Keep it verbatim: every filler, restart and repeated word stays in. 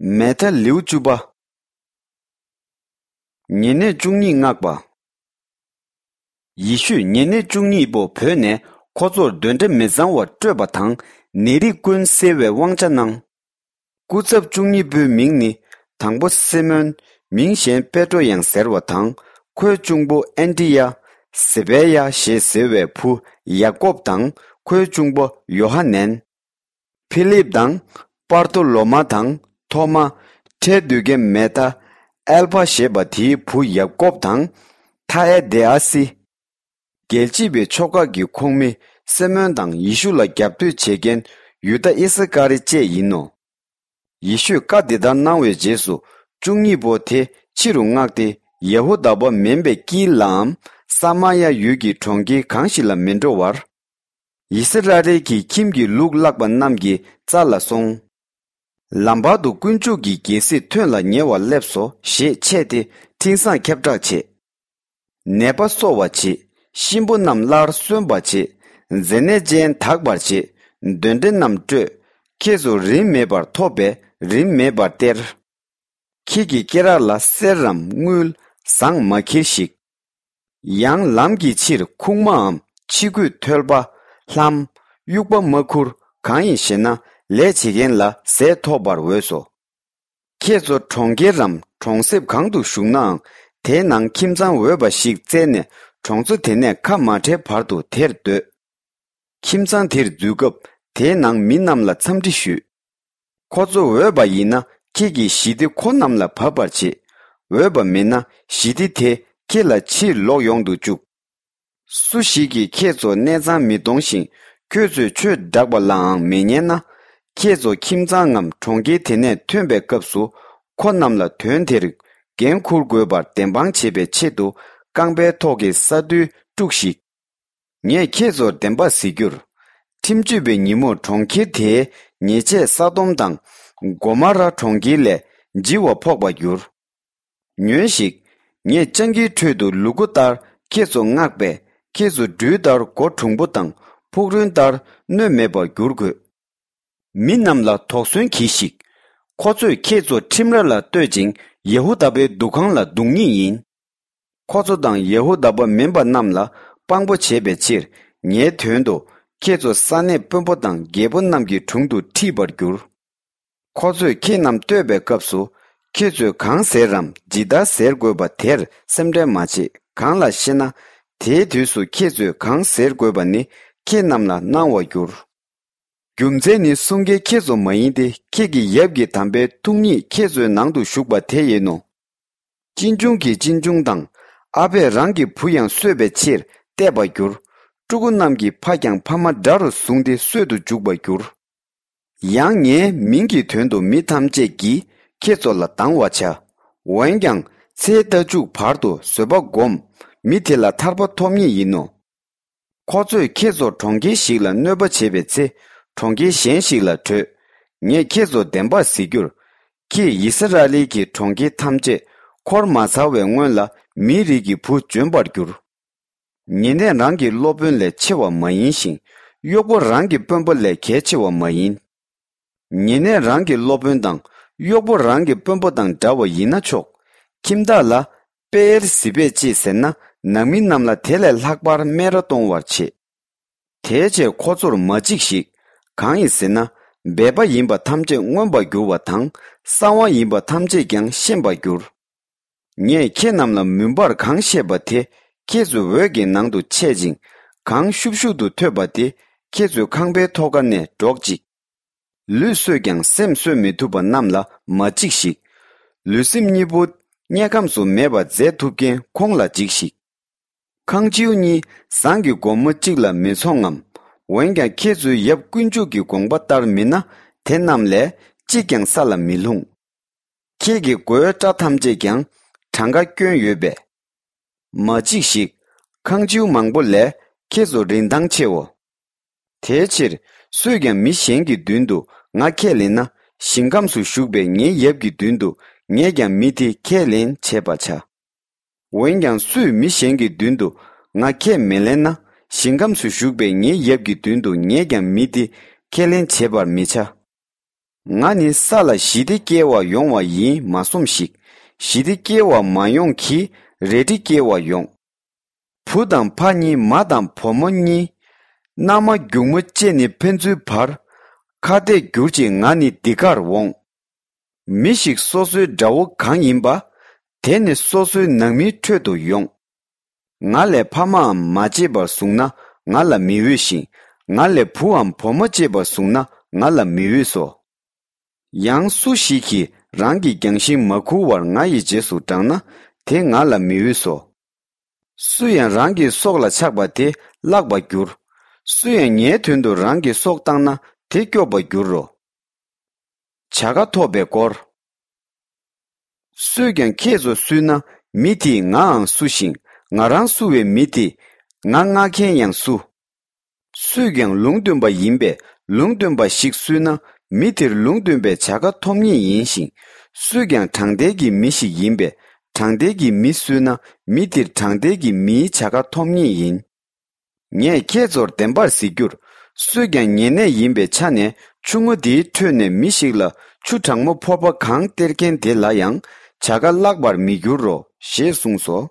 མ་ཐཱ་ལེའུ་བཅུ་པ། ཉེ་གནས་བཅུ་གཉིས་མངགས་པ། ཡེ་ཤུས་ཉེ་གནས་བཅུ་གཉིས་པོ་བོས་ནས་ཁོ་ཚོར་གདོན་འདྲེ་མི་གཙང་བ་སྐྲོད་པ་དང་ནད་རིགས་ཀུན་སེལ་བའི་དབང་ཆ་གནང་། སྐུ་ཚབ་བཅུ་གཉིས་པོའི་མིང་ནི། དང་པོ་སི་མོན། མིང་གཞན་པེ་ཏྲོ་ཡང་ཟེར་བ་དང་། ཁོའི་གཅུང་པོ་ཨན་ཏི་ཡ། ཟེ་བེ་ཡ་ཞེས་ཟེར་བའི་བུ་ཡ་ཀོབ་དང་ཁོའི་གཅུང་པོ་ཡོ་ཧ་ནན། ཕི་ལིབ་དང་། པར་ཐོ་ལོ་མ་དང་། ཐོ་མ། ཁྲལ་བསྡུ་མཁན་མ་ཐཱ། ཨལ་ཕ་ཞེས་པ་དེའི་བུ་ཡ་ཀོབ་དང་། ཐ་ཨེ་དེ་ཨ་སི། རྒྱལ་གཅེས་པའི་ཕྱོགས་ཁག་གི་ཁོངས་མི་སི་མོན་དང་ཡེ་ཤུ་ལ་རྒྱབ་གཏོད་བྱེད་མཁན་ཡུ་དཱ་ཨི་སི་ཀ་རི་བཅས་ཡིན་ནོ། ཡེ་ཤུས་བཀའ་འདི་ལྟར་གནང་བའི་རྗེས་སུ་བཅུ་གཉིས་པོ་དེ་ཕྱི་རུ་མངགས་ཏེ་ཡ་ཧུ་དཱ་པ་མིན་པའི་ཀིལ་ལའམ་ས་མ་ཡ་ཡུལ་གྱི་གྲོང་ཁྱེར་གང་ཞིག་ལ་མི་འགྲོ་བར། ཡི་སི་ར་ཨེལ་གྱི་ཁྱིམ་གྱི་ལུག་བརླག་པ་རྣམས་ཀྱི་རྩ་ལ་སོང་། ལམ་བར་དུ་དཀོན་མཆོག་གི་རྒྱལ་སྲིད་ཐོན་ལ་ཉེ་བར་སླེབས་སོ་ཞེས་འཆད་དེ་འཕྲིན་བཟང་ཁྱབ་བསྒྲགས་བྱེད། ནད་པ་གསོ་བར་བྱེད། གཤིན་པོ་རྣམས་སླར་གསོན་པར་བྱེད། མཛེ་ནད་ཅན་དག་པར་བྱེད། གདོན་འདྲེ་རྣམས་སྐྲོད། ཁྱེད་ཚོ་རིན་མེད་པར་ཐོབ་པས་རིན་མེད་པར་སྟེར། ཁྱེད་ཀྱི་སྐེ་རགས་ལ་གསེར་རམ་དངུལ་ཟངས་མ་འཁྱེར་ཞིག། ཡང་ལམ་གྱི་ཕྱིར་ཁུག་མའམ་ཕྱི་གོས་ཐོལ་པ། ལྷམ། དབྱུག་པ་མ་ཁུར། གང་ཡིན་ཞེ་ན་ལས་བྱེད་མཁན་ལ་ཟས་ཐོབ་པར་འོས་སོ། ཁྱེད་ཚོ་གྲོང་ཁྱེར་རམ་གྲོང་གསེབ་གང་དུ་བཞུགས་ནའང་དེའི་ནང་ཁྱིམ་ཚང་འོས་པ་ཞིག་བཙལ་ནས་གྲོང་ཚོ་དེ་ནས་ཁ་མ་བྲལ་བར་དུ་དེར་སྡོད། ཁྱིམ་ཚང་དེར་འཛུལ་སྐབས་དེའི་ནང་མི་རྣམས་ལ་འཚམས་འདྲི་ཞུས། ཁོ་ཚོ་འོས་པ་ཡིན་ན་ཁྱེད་ཀྱིས་ཞི་བདེ་ཁོ་རྣམས་ལ་བབས་པར་བྱེད། འོས་པ་མིན་ན་ཞི་བདེ་དེ་ཁྱེད་ལ་ཕྱིར་ལོག་ཡོང་དུ་བཅུག། སུ་ཞིག་གིས་ཁྱེད་ཚོ་གནས་ཚང་མི་གཏོང་ཞིང་ཁྱོད་ཚོས་ཆོས་བསྒྲགས་པ་ལའང་མི་ཉན་ན། ཁྱེད་ཚོ་ཁྱིམ་ཚང་ངམ་གྲོང་ཁྱེར་དེ་ནས་ཐོན་པའི་སྐབས་སུ་ཁོ་རྣམས་ལ་དོན་དེར་འགན་འཁུར་དགོས་པར་བདེན་དཔང་བྱེད་པའི་ཆེད་དུ་རྐང་པའི་ཐོག་གི་ས་རྡུལ་དཀྲུགས་ཤིག། ངས་ཁྱེད་ཚོར་བདེན་པ་ཟེར་རྒྱུར། ཁྲིམས་གཅོད་པའི་ཉིན་མོར་གྲོང་ཁྱེར་དེའི་ཉེས་ཆད་ས་དོམ་དང་། གོ་མ་ར་གྲོང་ཁྱེར་ལས་ལྗིད་བ་ཕོག་པར་འགྱུར། ཉོན་ཞིག། ངས་སྤྱང་ཀིའི་ཁྲོད་དུ་ལུ་གུ་ལྟར་ཁྱེད་ཚོ་མངགས་པས་ཁྱེད་ཚོ་སྦྲུལ་ལྟར་མགོ་གྲུང་པོ་དང་ཕུག་རོན་ལྟར་གནོད་མེད་པར་འགྱུར་དགོས། མི་རྣམས་ལ་དོགས་ཟོན་གྱིས་ཤིག། ཁོ་ཚོས་ཁྱེད་ཚོ་ཁྲིམས་ར་ལ་གཏོད་ཅིང་ཡེ་ཧུ་དཱ་པའི་འདུ་ཁང་ལ་རྡུང་ངེས་ཡིན། ཁོ་ཚོ་དང་ཡེ་ཧུ་དཱ་པ་མིན་པ་རྣམས་ལ་དཔང་པོ་བྱེད་པའི་ཕྱིར་ངའི་དོན་དུ་ཁྱེད་ཚོ་ས་གནས་དཔོན་པོ་དང་རྒྱལ་པོ་རྣམས་ཀྱི་དྲུང་དུ་ཁྲིད་པར་འགྱུར། ཁོ་ཚོས་ཁྱེད་རྣམས་བསྟོད་པའི་སྐབས་སུ་ཁྱེད་ཚོས་གང་ཟེར་རམ་ཇི་ལྟར་ཟེར་དགོས་པ་དེར་སེམས་ཁྲལ་མ་བྱེད། གང་ལགས་ཤེ་ན། དེའི་དུས་སུ་ཁྱེད་ཚོས་གང་ཟེར་དགོས་པ་ནི་ཁྱེད་རྣམས་ལ་གནང་བར་འགྱུར། རྒྱུ་མཚན་ནི་སྲུང་མཁན་ཁྱེད་ཚོ་མ་ཡིན་ཏེ་ཁྱེད་ཀྱི་ཡབ་ཀྱི་དམ་པའི་ཐུགས་ཉིད་ཁྱེད་ཚོའི་ནང་དུ་བཞུགས་པ་དེ་ཡིན་ནོ། གཅེན་གཅུང་གིས་གཅེན་གཅུང་དང་། ཨ་ཕས་རང་གི་བུ་ཡང་གསོད་པའི་ཕྱིར་གཏད་པར་འགྱུར། ཕྲུ་གུ་རྣམས་ཀྱི་ཕ་ཀྱང་ཕ་མ་དགྲ་རུ་བཟུང་སྟེ་གསོད་དུ་འཇུག་པར་འགྱུར། ཡང་ངའི་མིང་གི་དོན་དུ་མི་ཐམས་ཅད་ཀྱིས་ཁྱེད་ཚོ་ལ་སྡང་བར་བྱ། འོན་ཀྱང་ཚེའི་ལྟ་མཇུག་བར་དུ་བཟོད་པ་སྒོམ། མི་དེ་ལ་ཐར་པ་ཐོབ་ངེས་ཡིན་ནོ། ཁོ་ཚོས་ཁྱེད་ཚོ་གྲོང་ཁྱེར་ཞིག་ལ་གནོད་པ་བྱེད་པའི་ཚེ་གྲོང་ཁྱེར་གཞན་ཞིག་ལ་བྲོས། ངས་ཁྱེད་ཚོར་བདེན་པར་ཟེར་རྒྱུར། ཁྱེད་ཡི་སི་ར་ཨེལ་གྱི་གྲོང་ཁྱེར་ཐམས་ཅད་འཁོར་མ་ཚར་བའི་སྔོན་ལ་མིའི་རིགས་ཀྱི་བུ་འབྱོན་པར་འགྱུར། ཉེ་གནས་རང་གི་སློབ་དཔོན་ལས་ཆེ་བ་མ་ཡིན་ཞིང་གཡོག་པོ་རང་གི་དཔོན་པོ་ལས་གལ་ཆེ་བ་མ་ཡིན། ཉེ་གནས་རང་གི་སློབ་དཔོན་དང་གཡོག་པོ་རང་གི་དཔོན་པོ་དང་འདྲ་བ་ཡིན་ན་ཆོག། ཁྱིམ་བདག་ལ་པེ་ཨེལ་ཟི་བེད་ཅེས་ཟེར་ན་ནང་མི་རྣམས་ལ་དེ་ལས་ལྷག་པར་སྨད་ར་གཏོང་བར་བྱེད། དེའི་ཕྱིར་ཁོ་ཚོར་མ་འཇིགས་ཤིག། གང་ཡིན་ཟེར་ན། སྦལ་པ་ཡིན་པ་ཐམས་ཅད་མངོན་པར་འགྱུར་བ་དང་གསང་བ་ཡིན་པ་ཐམས་ཅད་ཀྱང་ཤེས་པར་འགྱུར། ངས་ཁྱེད་རྣམས་ལ་མུན་པར་གང་བཤད་པ་དེ་ཁྱེད་ཚོའི་འོད་ཀྱི་ནང་དུ་འཆད་ཅིང་། གང་ཤུབ་ཤུབ་ཏུ་ཐོས་པ་དེ་ཁྱེད་ཚོའི་ཁང་པའི་ཐོག་ཁ་ནས་སྒྲོག་ཅིག། ལུས་གསོས་ཀྱང་སེམས་གསོ་མི་ཐུབ་པ་རྣམས་ལ་མ་འཇིགས་ཤིག། ལུས་སེམས་གཉིས་པོ་དམྱལ་ཁམས་སུ་མེད་པར་མཛད་ཐུབ་མཁན་ཁོང་ལ་འཇིགས་ཤིག། ཁང་བྱིའུ་གཉིས་ཟངས་ཀྱི་སྒོར་མོ་གཅིག་ལ་མི་ཚོང་ངམ། འོན་ཀྱང་ཁྱེད་ཚོའི་ཡབ་དཀོན་མཆོག་གི་དགོངས་པ་ལྟར་མིན་ན་དེ་རྣམས་ལས་གཅིག་ཀྱང་ས་ལ་མི་ལྷུང་། ཁྱེད་ཀྱི་མགོའི་སྐྲ་ཐམས་ཅད་ཀྱང་གྲངས་ཀ་སྐྱོན་ཡོད་པས། མ་འཇིགས་ཤིག། ཁང་བྱིའུ་མང་པོ་ལས་ཁྱེད་ཚོ་རིན་ཐང་ཆེའོ། དེའི་ཕྱིར་སུས་ཀྱང་མི་གཞན་གྱི་མདུན་དུ་ང་ཁས་ལེན་ན་ཞིང་ཁམས་སུ་བཞུགས་པའི་ངའི་ཡབ་ཀྱི་མདུན་དུ་ངས་ཀྱང་མི་དེ་ཁས་ལེན་བྱེད་པར་བྱ། འོན་ཀྱང་སུས་མི་གཞན་གྱི་མདུན་དུ་ང་ཁས་མི་ལེན་ན་ཞིང་ཁམས་སུ་བཞུགས་པའི་ངའི་ཡབ་ཀྱི་མདུན་དུ་ངས་ཀྱང་མི་དེ་ཁས་ལེན་བྱེད་པར་མི་བྱ། ང་ནི་ས་ལ་ཞི་བདེ་སྐྱེལ་བར་ཡོང་བ་ཡིན་མ་བསམ་ཞིག། ཞི་བདེ་སྐྱེལ་བར་མ་ཡོང་གི། རལ་གྲི་སྐྱེལ་བར་ཡོང་། བུ་དང་ཕ་གཉིས། མ་དང་བུ་མོ་གཉིས། མནའ་མ་སྒྱུག་མོ་བཅས་ནི་ཕན་ཚུན་བར། ཁ་གཏད་གྱུར་ཅིག། ང་ནི་འདི་གར་འོང་། མི་ཞིག་སོ་སོའི་དགྲ་བོ་གང་ཡིན་པ། དེ་ནི་སོ་སོའི་ནང་མིའི་ཁྲོད་དུ་ཡོང་། ང་ལས་ཕ་མའམ་མ་གཅེས་པར་བཟུང་ན་ང་ལ་མི་འོས་ཤིང་། ང་ལས་བུའམ་བུ་མོ་གཅེས་པར་བཟུང་ན་ང་ལ་མི་འོས་སོ། ཡང་སུ་ཞིག་གིས་རང་གི་རྒྱང་ཤིང་མ་ཁུར་བར་ང་ཡི་རྗེས་སུ་འབྲངས་ན་དེ་ང་ལ་མི་འོས་སོ། སུ་ཡང་རང་གི་སྲོག་ལ་ཆགས་པ་དེ་བརླག་པར་འགྱུར། སུ་ཡང་ངའི་དོན་དུ་རང་གི་སྲོག་བཏང་ན་དེ་སྐྱོབ་པར་འགྱུར་རོ། བྱ་དགའ་ཐོབ་པའི་སྐོར། སུས་ཀྱང་ཁྱེད་ཚོ་བསུས་ན་མི་དེས་ངའང་བསུ་ཞིང་། ང་རང་བསུ་བའི་མི་དེས་ང་མངགས་མཁན་ཡང་བསུ། སུས་ཀྱང་ལུང་སྟོན་པ་ཡིན་པས་ལུང་སྟོན་པ་ཞིག་བསུས་ན་མི་དེར་ལུང་སྟོན་པའི་བྱ་དགའ་ཐོབ་ངེས་ཡིན་ཞིང་། སུས་ཀྱང་དྲང་བདེན་གྱི་མི་ཞིག་ཡིན་པས་དྲང་བདེན་གྱི་མི་བསུས་ན་མི་དེར་དྲང་བདེན་གྱི་མིའི་བྱ་དགའ་ཐོབ་ངེས་ཡིན། ངས་ཁྱེད་ཚོར་བདེན་པར་ཟེར་རྒྱུར། སུས་ཀྱང་ཉེ་གནས་ཡིན་པའི་ཆ་ནས་ཆུ་རྔ་འདིའི་ཁྲོད་ནས་མི་ཞིག་ལ་ཆུ་གྲང་མོ་ཕོར་པ་གང་སྟེར་མཁན་དེ་ལ་ཡང་བྱ་དགའ་བརླག་པར་མི་འགྱུར་རོ་ཞེས་གསུངས་སོ།